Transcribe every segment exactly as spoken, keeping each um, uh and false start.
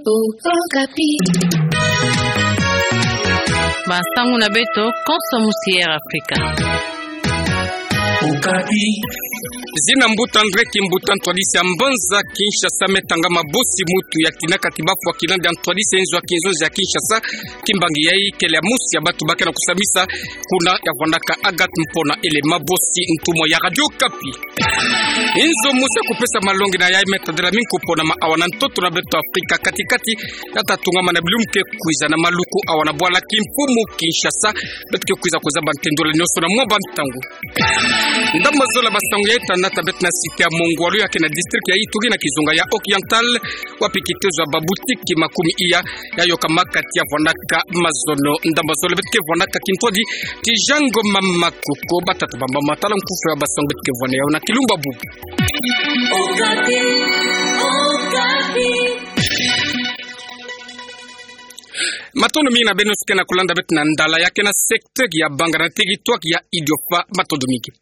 Okapi. Bansangu na beto, konso musi Air Africa. Okapi. Zina Mbuta André Kimbuta, ntwadisi ya mbanza Kinshasa, me tangama bosi mutu ya tina kati bafwa kilandi ya ntwadisi ya inzo ya kinzonzi ya Kinshasa. Kimbangi yayi kele ya musi ya batu ba ke na kusambisa kuna ya vwandaka Agathe Mpona Elema, bosi ntumwa ya Radio Okapi. Inzo mosi ya kupesa malongi na yayi me tadila mingi kupona ma awa na ntoto na beto Afrika kati-kati, ya ta tungama na bilumbu ke kwiza na maluku awa na bwala kimfumu Kinshasa. Beto ke kwiza kuzaba ntendula nionso na mwa bantangu. Ndambu zole ya basangu ya ita nata beto na cité ya Mongwalu, ya ke na district ya Ituri na kizunga ya Oriental, wapi kitezo ya babutiki makumi iya ya yokama kati ya vwandaka mazono. Ndambu zole beto ke vwandaka kintwadi ti Jango Mama Koko. Batata bamama, tala nkufi ya basangu beto ke vwanda yawu na kilumbu bubu. Okapi, Okapi. Matondo mingi na beno nyonso ke na kulanda beto na ndala ya ke na secteur ya Bangara na territoire ya Idiofa. Matondo mingi.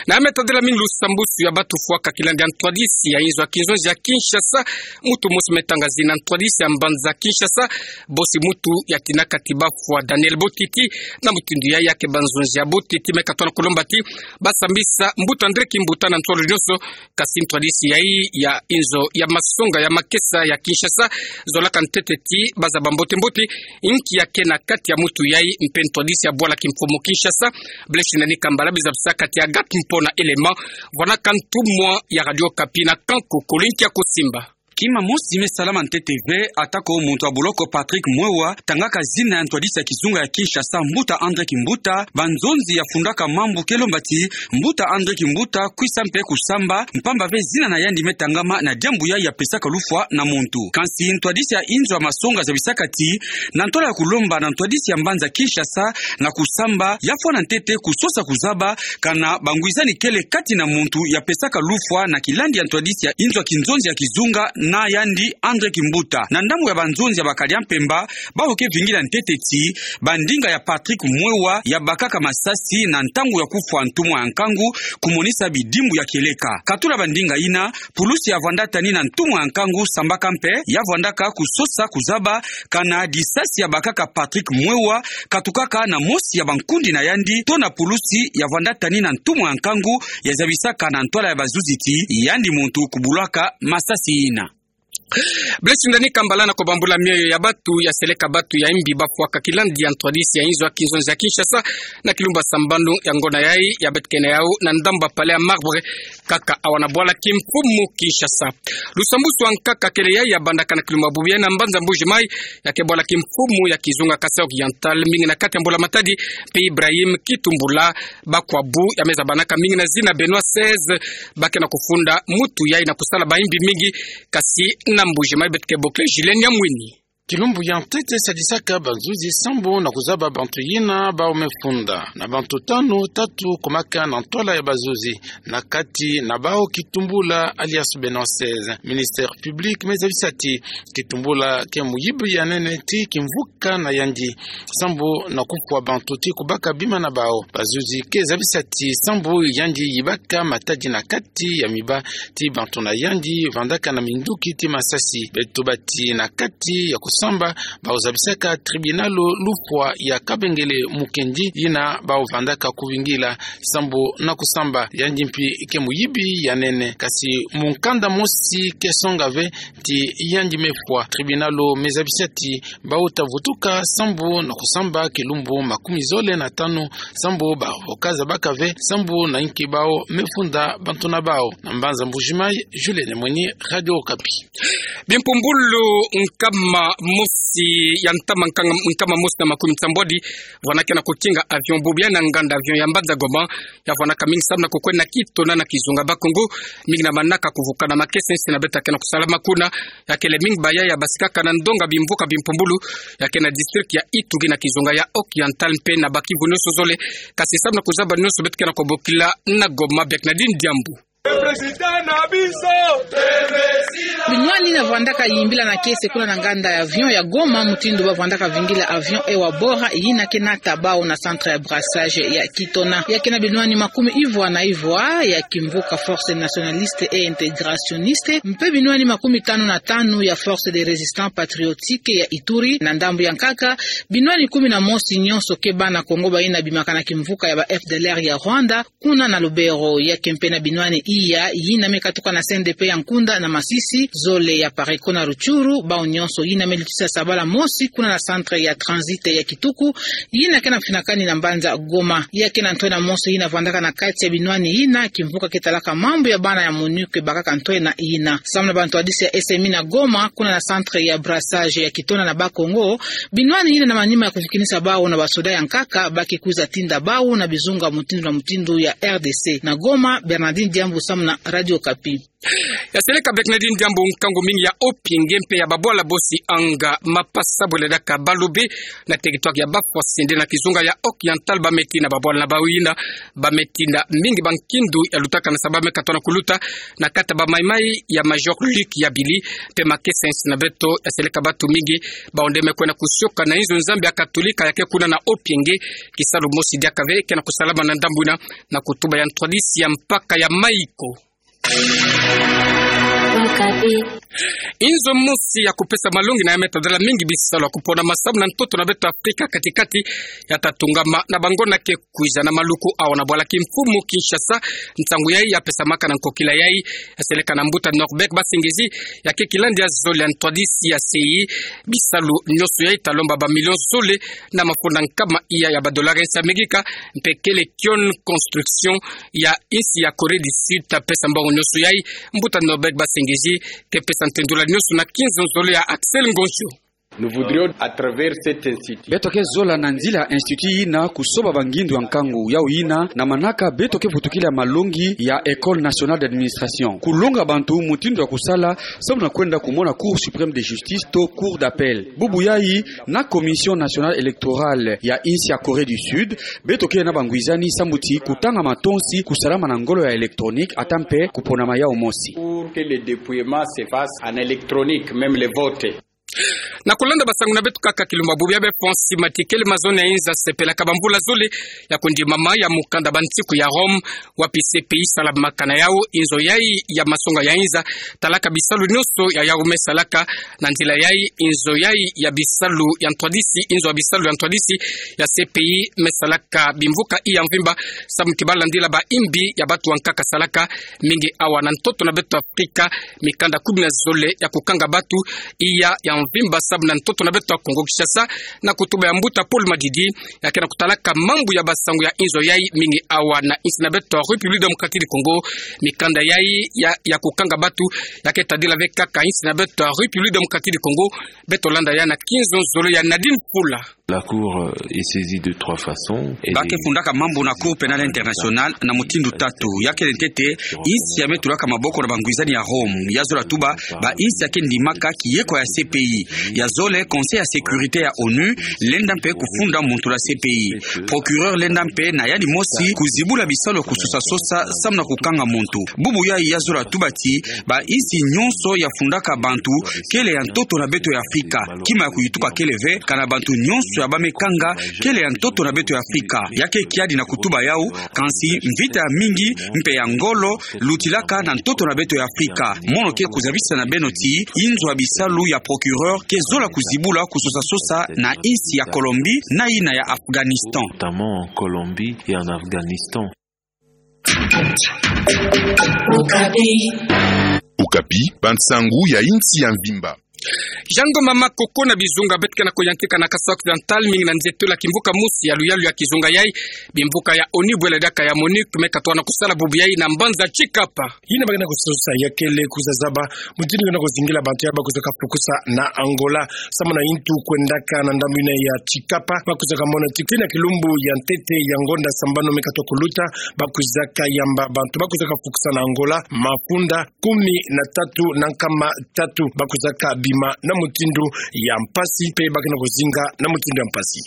Na ya me tadila mingi lusambusu ya batu fwaka kilandi ya ntwadisi ya inzo ya kinzonzi ya Kinshasa. Mutu mosi me tanga zina ntwadisi ya mbanza Kinshasa, bosi mutu ya tina kati bafwa Daniel Botiti, na mutindu yayi ya ke banzonzi ya Botiti me katula kulomba ti basambisa Mbuta André Kimbuta na ntwala nionso. Kasi ntwadisi yayi ya inzo ya masonga ya makesa ya Kinshasa zolaka ntete ti bazaba mbote-mbote inki ya ke na kati ya mutu yayi mpe ntwadisi ya bwala kimfumu Kinshasa, Blaise Nani Kambala, biza bisa kati ya Agathe Mpona Elema, vwandaka ntumwa ya Radio Okapi na Kanku, kulinki ya kusimba. Kima mosi me salama ntete ve, atako muntu ya boloko Patrick Mwewa tangaka zina ya ntwadisi ya kizunga ya Kinshasa, Mbuta André Kimbuta, banzonzi ya fundaka mambu ke lomba ti Mbuta André Kimbuta kwisa mpe kusamba, mpamba ve zina na yandi me tangama na diambu yayi ya pesaka lufwa na muntu. Kansi ntwadisi ya inzo ya masonga zabisaka ti, na ntwala ya kulomba na ntwadisi ya mbanza Kinshasa na kusamba, ya fwana ntete kusosa kuzaba kana bangwizani kele kati na muntu ya pesaka lufwa na kilandi ya ntwadisi ya inzo ya kinzonzi ya kizunga na yandi André Kimbuta. Na ndambu ya banzonzi ya bakadi ya mpemba, bawu ke vingila ntete ti bandinga ya Patrick Mwewa ya bakaka masasi na ntangu ya kufwa ntumwa ya nkangu, kumonisa bidimbu ya kieleka. Katula bandinga yina, pulusi ya vwanda tani na ntumwa ya nkangu sambaka mpe, ya vwandaka kusosa kuzaba kana disasi ya bakaka Patrick Mwewa katukaka na mosi ya bankundi na yandi, to na pulusi ya vwanda tani na ntumwa ya nkangu, ya zabisaka na ntwala ya bazuzi ti yandi muntu kubulaka masasi yina. Blaise Nani Kambala na kubambula mioyo ya batu ya seleka batu ya imbi bafwaka kilandi ya ntwadisi ya inzo ya kinzonzi ya Kinshasa na kilumbu sambanu ya ngonda yayi ya beto ke na yawu na ndambu ya Palais ya Marbre, kaka awa na bwala kimfumu Kinshasa. Lusambusu ya nkaka kele yayi ya bandaka na kilumbu bubu yayi na mbanza Mbuji Mayi, ya ke bwala kimfumu ya kizunga Kasaï Oriental, mingi na kati ya Mbula Matadi mpe Ibrahim Kitumbula, bakwabu ya me zabanaka mingi na zina Benoît seize, ba ke na kufunda mutu yayi na kusala bayimbi mingi, kasi na Mbuji Mayi beto ke bokila Julien Nyamwini. Kilumbu ya ntete sadisaka bazuzi sambu na kuzaba bantu yina bawu me funda. Na bantu tanu, tatu kumaka na ntwala ya bazuzi. Na kati na bawu Kitumbula alias Benoît seize. Ministère public me zabisa ti Kitumbula ke muyibi ya nene ti kimvuka na yandi sambu na kufwa bantu ti kubaka bima na bawu. Bazuzi ke zabisa ti sambu yandi yibaka matadi na kati ya miba ti bantu na yandi vandaka na minduki ti masasi. Beto bati na kati ya kusamba, bawu zabisaka tribunal lufwa ya Kabengele Mukendi yina bawu vandaka kuvingila sambu na kusamba. Yandi mpi ke muyibi ya nene, kasi mukanda mosi ke songa ve ti yandi me fwa. Tribunal me zabisa ti bawu ta vutuka sambu na kusamba kilumbu makumi zole na tanu, sambu bawu ka zabaka ve sambu na inki bawu me funda bantu na bawu. Na mbanza Mbuji Mayi, Julien Nyamwini, Radio Okapi. Bimpumbulu nkama mosi ya ntama, nkama, nkama mosi na makumi nsambwadi vwana ke na kutinga avion bubu yayi na nganda avion ya mbanza Goma, ya vwanaka mingi sambu na kukwenda na Kitona na kizunga Bas-Congo, mingi na manaka kuvuka na makesa insi na beto ke na kusalama kuna. Ya kele mingi bayayi ya basikaka na ndonga bimvuka bimpumbulu ya ke na district ya Ituri na kizunga ya Oriental mpe na Bas-Kivu nionso zole. Kasi sambu na kuzaba nionso beto ke na kubokila na Goma, Bernardine Diambu. Binwani yina vwandaka yimbila na kiese kuna na nganda ya avion ya Goma, mutindu ba vwandaka vingila avion Ewa Bora, yina ke nata bawu na centre ya brassage ya Kitona. Ya ke na binwani makumi ivwa na ivwa ya kimvuka Force Nationaliste et Intégrationiste, mpe binwani makumi tanu na tanu ya Force de Résistance Patriotique ya Ituri. Na ndambu ya nkaka, binwani kumi na mosi nyonso ke bana Kongo bayina bimakana kimvuka ya ba F D L R ya Rwanda, kuna na Lubero. Ya ke mpe na binwani iya yina me katuka na C N D P ya Nkunda na Masisi, zole ya Pareko na Rutshuru, bawu nyonso yina me lutisa sabala mosi kuna na centre ya transit ya Kituku, yina ke na mfinakani na mbanza Goma. Ya ke na ntwena mosi yina vwandaka na kati ya binwani yina kimvuka ke talaka mambu ya bana ya MONUC bakaka ntwena yina. Samu na bantwadisi ya S M I na Goma, kuna na centre ya brassage ya Kitona na Bakongo, binwani yina na manima ya kuvikinisa bawu na basoda ya nkaka, ba ke kwiza tinda bawu na bizunga mutindu na mutindu ya R D C. Na Goma, Bernardine Diambu, samu na Radio Okapi. Ya seleka Bernardine Diambu. Nkangu mingi ya Opienge mpe ya babwala bosi Anga, Mapasa, bwela diaka Balobe, na territoire ya Bafwasende na kizunga ya Oriental, ba me tina babwala na bawu yina, ba me tina mingi bankindu ya lutaka na saba me katwa na kuluta na kati ya ba maimai ya Major Luc Yabili, mpe makesa ya insi na beto ya seleka batu mingi, bawu nde me kwenda kusioka na inzo Nzambi ya Katolika ya ke kuna na Opienge. Kisalu mosi diaka ve ke na kusalama na ndambu yina, na kutuba ya ntwadisi ya mpaka ya Maiko. Okapi. Inzo mosi ya kupesa malongi na ya me tadila mingi bisalu ya kupona masamu na ntoto na beto Afrika kati-kati ya ta tungama na bangona ke kwiza. Na maluku awa na bwala kimfumu Kinshasa, nsangu yayi ya pesamaka na nkokila yayi ya seleka na mbuta Norbert Basengezi, ya ke kilandi ya zole ya ntwadisi ya C I. Bisalu nyonso yayi ta lomba ba million zole na mafunda nkama iya ya ba dollar ya insi ya Amerika, mpe kele Kion Construction ya insi ya Corée du Sud ta pesa mbongo nyonso yayi. Mbuta Norbert Basengezi ke pesa ntendula nyonso na kinzo zole ya Axel Ngonjo. Nous voudrions, à travers cet institut, beto ke zola na nzila ya institut yina kusoba bangindu ya nkangu yawu yina na manaka beto ke vutukila malongi ya École Nationale d'Administration, kulonga bantu mutindu ya kusala, samu na kwenda kumona Cour Suprême de Justice to Cour d'Appel. Bubu yayi, na Commission Nationale Électorale ya insi ya Corée du Sud, beto ke na bangwizani samu ti kutanga matonsi kusalama na ngolo ya électronique, ata mpe kuponama yawu mosi. Pour que le dépouillement se fasse en électronique, même les votes. Na kulanda basangu na beto kaka kilumbu bubu ya be ponsi matikele mazone ya inza sepelaka bamvula zole ya kundimama ya mukanda Bantiku ya Rome, wapi C P I salamaka na yawu. Inzo yayi ya masonga ya inza talaka bisalu nyonso ya yawu me salaka. Na nzila yayi, inzo yayi ya bisalu ya ntwadisi, inzo ya bisalu ya ntwadisi ya C P I me salaka bimvuka iya mvimba, samu ti ba landila ba imbi ya batu ya nkaka salaka mingi awa na ntoto na beto Afrika, mikanda kumi na zole ya kukanga batu iya ya mvimba samu na ntoto na beto ya Kongo Kinshasa, na kutuba ya mbuta Paul Madidi, ya ke na kutalaka mambu ya basangu ya inzo yayi mingi awa na insi na beto République Démocratique du Congo. Mikanda yayi ya, ya kukanga batu ya ke tadila ve kaka insi na beto République Démocratique du Congo. Beto landa ya na kinzo zole ya Nadine Pula. La Cour, euh, est saisie de trois façons. Ba ke fundaka mambu na Cour Pénale Internationale na mutindu tatu. Ya kele ntete, insi ya me tulaka maboko na bangwizani ya Rome ya zola tuba ba insi ya ke ndimaka kiyeko ya C P I. Ya zole, Conseil ya Sécurité ya ONU lenda mpe kufunda muntu na C P I. Procureur lenda mpe na yandi mosi kuzibula bisalu ya kusosa-sosa samu na kukanga muntu. Bubu yayi ya zola tuba ti ba insi nyonso ya fundaka bantu kele ya ntoto na beto ya Afrika. Kima ya kuyituka kele ve, kana bantu nyonso ya ba me kanga kele ya ntoto na beto ya Afrika. Ya ke kiadi na kutuba yawu, kansi mvita ya mingi mpe ya ngolo lutilaka na ntoto na beto ya Afrika. Mono ke kuzabisa na beno ti inzo ya bisalu ya procureur ke zola kuzibula kusosa-sosa na insi ya Colombie na yina ya Afghanistan. Notamment en Colombie et en Afghanistan. Okapi. Okapi, bansangu ya insi ya mvimba. Jean Ngoma Makoko na bizunga beto ke na kuyantika na Kasai Occidental, mingi na nzietolo ya kimvuka mosi ya luyalu ya kizunga yayi, bimvuka ya ONU bwela diaka ya MONUC me katuka na kusala bubu yayi na mbanza Tshikapa. Yina ba ke na kusosa ya kele kuzazaba mutindu ke na kuzingila bantu ya ba kwizaka fukusa na Angola. Samu na yintu kwendaka na ndambu yina ya Tshikapa, ba kwizaka mona ti kuna kilumbu ya ntete ya ngonda sambanu me katuka kuluta, ba kwizaka yamba bantu ba kwizaka fukusa na Angola mafunda kumi na tatu na nkama tatu, ba kwizaka bima na mutindu ya mpasi, mpe ba ke na kuzinga na mutindu ya mpasi.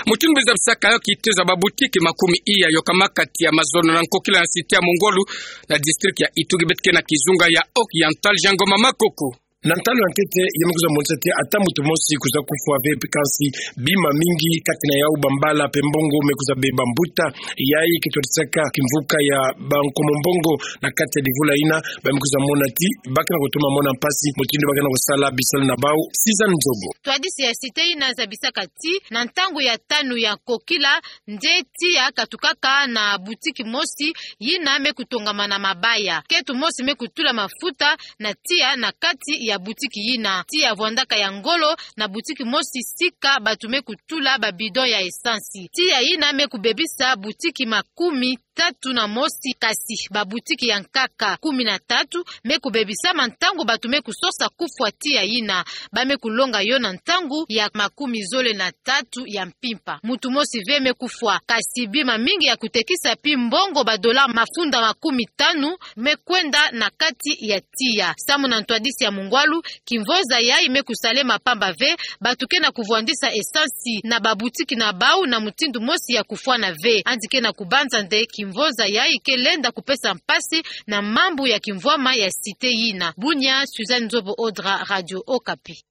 Mutindu zabisaka yo kitezo ya babutiki makumi iya yokamaka ti ya mazono na Nkokila na cité ya Mungwalu na district ya Ituri, beto ke na kizunga ya Oriental, Jean Ngoma Makoko. Na ntalo ya ntete, ye me kwiza monisa ti ata mutu mosi kwiza kufwa ve, kansi bima mingi, kati na yau bambala pe mbongo me kwiza beba. Mbuta yayi ke twadisaka kimvuka ya bankomo mbongo na kati ya divula yina, ba me kwiza mona ti ba ke na kutoma mona mpasi mutindu ba ke na kusala bisalu na bau. Sizani Nzobo. Twadisi ya cité yina zabisaka ti na ntangu ya tanu ya Nkokila, nde tiya katukaka na butiki mosi yina me kutongama na mabaya. Ketu mosi me kutula mafuta na tiya na kati ya butiki yina. Tiya vwandaka ya ngolo na butiki mosi sika batu me kutula ba bidon ya esansi. Tiya yina me kubebisa butiki makumi tatu na mosi, kasi babutiki ya nkaka kumi na tatu me kubebisama ntangu batu me kusosa kufwa tiya yina. Ba me kulonga yo na ntangu ya makumi zole na tatu ya mpimpa. Mutu mosi ve me kufwa, kasi bima mingi ya kutekisa pi mbongo ba dollars mafunda makumi tanu me kwenda na kati ya tiya. Samu na ntwadisi ya Mungwalu, kimvoza yayi me kusalema pamba ve, batu ke na kuvwandisa esansi na babutiki na bau na mutindu mosi ya kufwana ve. Yandi ke na kubanza nde kimvoza yayi ke lenda kupesa mpasi na mambu ya kimvwama ya cité yina. Bunia, Suzanne Nzobo Odra, Radio Okapi.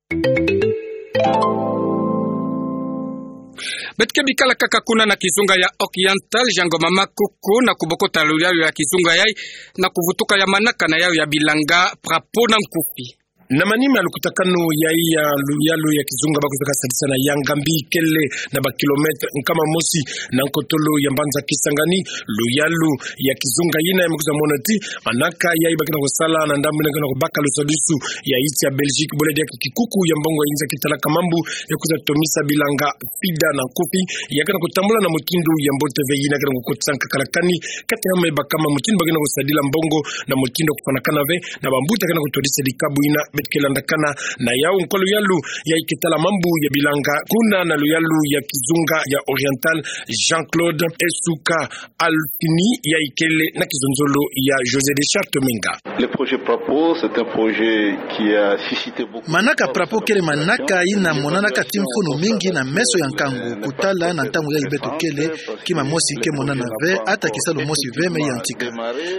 Beto ke bikala kaka kuna na kizunga ya Oriental, Jean Ngoma Makoko, na kubokota luyalu ya kizunga yayi, na kuvutuka ya manaka na yau ya bilanga, Prapo na nkufi. Na manima ya lukutakanu yayi ya luyalu ya kizunga, ba kwizaka sadisa na yanga mbi kele na ba kilomètre nkama mosi na nkotolo ya mbanza Kisangani. Luyalu ya kizunga yina ya me kwiza mona ti manaka yayi ba ke na kusala na ndambu yina ke na kubaka lusadisu ya insi ya Belgique, bole diaka kikuku ya mbongo ya inza ke talaka mambu ya kwiza tomisa bilanga FIDA na nkufi, ya ke na kutambula na mutindu ya mbote ve. Yina ke na kukotisa nkakalakani kati ya me bakama mutindu ba ke na kusadila mbongo na mutindu ya kufanakana ve, na bambuta ke na kutwadisa dikabu yina. Beto ke landakana na yau nkwa luyalu yayi ke tala mambu ya bilanga kuna na luyalu ya kizunga ya Oriental, Jean-Claude Esuka Alfini, yayi kele na kizonzolo ya José Richard Tomenga. Le projet Prapo, c'est un projet qui a suscité beaucoup de... Manaka Prapo kele manaka yina monanaka ti mfunu mingi na meso ya nkangu, kutala na ntangu yayi beto kele, kima mosi ke monana ve, ata kisalu mosi ve me yantika.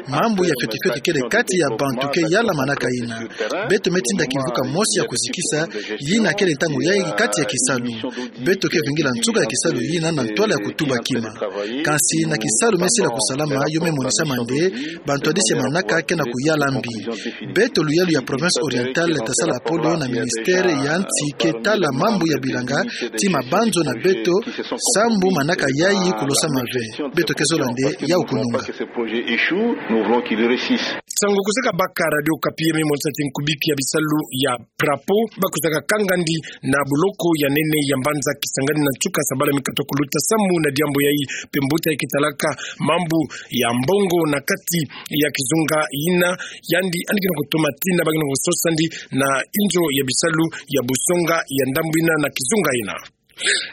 Mambu ya fioti fioti kele kati ya bantu ke yala manaka yina. Beto me tinda kimvuka mosi ya kuzikisa, yina kele ntangu yayi kati ya kisalu. Beto ke vingila nsuka ya kisalu yina na ntwala ya kutuba kima. Kansi na kisalu me sila kusalama, yo me monisama nde bantwadisi ya manaka ke na kuyala mbi. Beto luyalu ya province Orientale tasala polo na ministère ya nsi ke tala mambu ya bilanga ti mabanzo na beto, sambu manaka yayi kulosama ve. Beto ke zola nde yau kununga. Nsangu kwizaka baka Radio Okapi, ya me monisa ti nkubiki ya bisalu ya Prapo ba kwizaka kangandi na buloko ya nene ya mbanza Kisangani na nsuka sabala mi kata kuluta, samu na diambu yayi pe mbuta yayi ke talaka mambu ya mbongo na kati ya kizunga yina, yandi yandi ke na kutoma tina ba ke na kusosandi na inzo ya bisalu ya busonga ya ndambu yina na kizunga yina.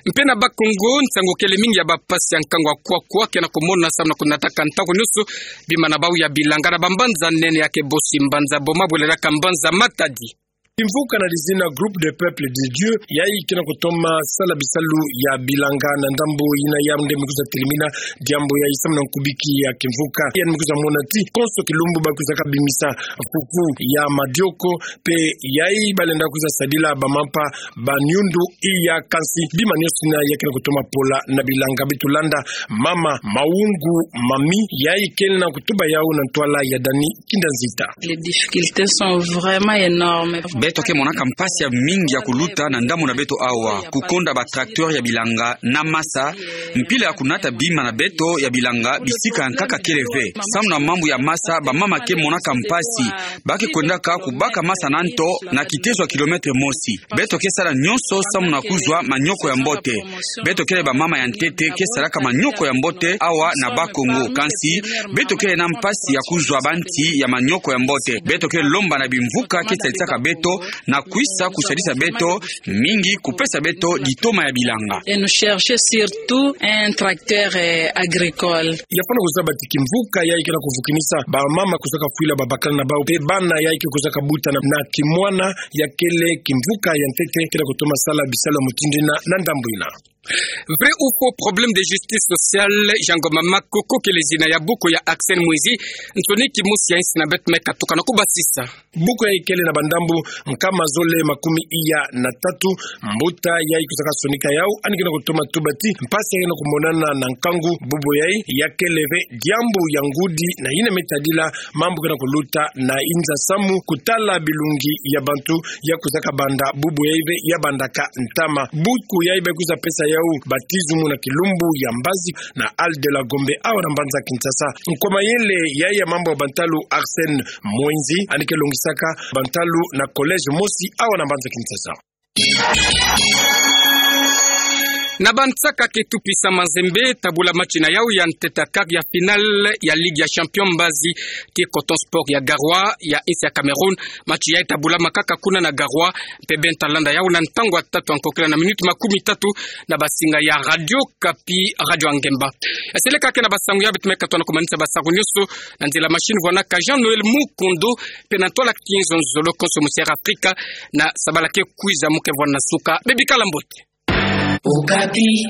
Mpe na Bas-Congo, nsangu kele mingi ya bampasi ya nkangu ya kwakwa ke na kumonana samu na kunataka ntangu nyonso bima na bau ya bilanga na bambanza nene ya ke bosi mbanza Boma, bwelelaka mbanza Matadi. Kimvuka na dizina Groupe des Peuples de Dieu, yayi ke na kutoma sala bisalu ya bilanga na ndambu yina, yandi me kwiza telimina diambu yayi samu na nkubiki ya kimvuka. Yandi me kwiza mona ti konso kilumbu ba kwizaka bimisa fufu ya madioko, pe yayi ba lenda kwiza sadila bamampa ba niundu iya, kansi bima nyonso yina ya ke na kutoma pola na bilanga. Beto landa mama Maungu Mami, yayi kele na kutuba yau na ntwala ya Dani Kinda Nzita. Les difficultés sont vraiment énormes. Beto ke monaka mpasi ya mingi ya kuluta na ndambu na beto awa, kukonda ba tracteurs ya bilanga na masa, mpila ya kunata bima na beto ya bilanga bisika ya nkaka kele ve. Samu na mambu ya masa, bamama ke monaka mpasi, ba ke kwendaka kubaka masa na nto na kitezo ya kilomètre mosi. Beto ke sala nyonso samu na kuzwa manioko ya mbote. Beto kele bamama ya ntete ke salaka manioko ya mbote awa na Bas-Congo. Kansi beto kele na mpasi ya kuzwa banti ya manioko ya mbote. Beto ke lomba na bimvuka ke salisaka beto na kwisa kusalisa beto mingi, kupesa beto ditoma ya bilanga. Et nous chercher surtout un tracteur, euh, agricole. Ya fwana kuzaba ti kimvuka yayi ke na kuvukinisa bamama kwizaka fwila babakala na bau, pe bana yayi ke kwizaka buta na, na kimwana, ya kele kimvuka ya ntete ke na kutoma sala bisalu ya mutindu yina na ndambu yina. Vrai ou faux, problème de justice sociale, Jean Ngoma Makoko kele zina ya buku ya Arsène Mwenzi, nsoni kimosi ya insi na bete meka tuka na kubasisa. Buku yayi kele na bandambu nkama zole makumi iya na tatu. Mbuta yayi kwisaka sonika yawu, yandi ke na kutoma tuba ti mpasi yake na kumonana na nkangu. Bubu yayi ya kele ve diambu ya ngudi na yina me tadila mambu ke na kuluta na inza samu, kutala bilungi ya bantu ya kwisaka banda bubu yayi ve ya bandaka ntama. Buku yayi ba kwiza pesa yawu baptismu na kilumbu ya mbazi na Halle de la Gombe awa na mbanza Kinshasa. Nkwa mayele yayi ya mambu ya bantalu Arsène Mwenzi, yandi ke longisaka bantalu na collège mosi awa na mbanza Kinshasa. Na bansaka ke Tout Puissant Mazembe tabula match na yawu ya ntete ya quart ya finale ya Ligue ya Champion mbazi ti Coton Sport ya Garoua ya insi ya Cameroun. Match yayi tabulamakaka kuna na Garoua, mpe beno ta landa yawu na ntangu ya tatu ya nkokila na minute makumi tatu na basinga ya Radio Okapi, Radio ya Ngemba. Eseleka ke na basangu ya bete meka tona kumanisa basangu nyonso na nzila machine vwanaka Jean Noël Mukondo, mpe na ntwala Kinzo Nzolo konso Musière Afrika, na sabala ke kwiza mu ke vwana na suka. Beno bikala mbote. Okapi.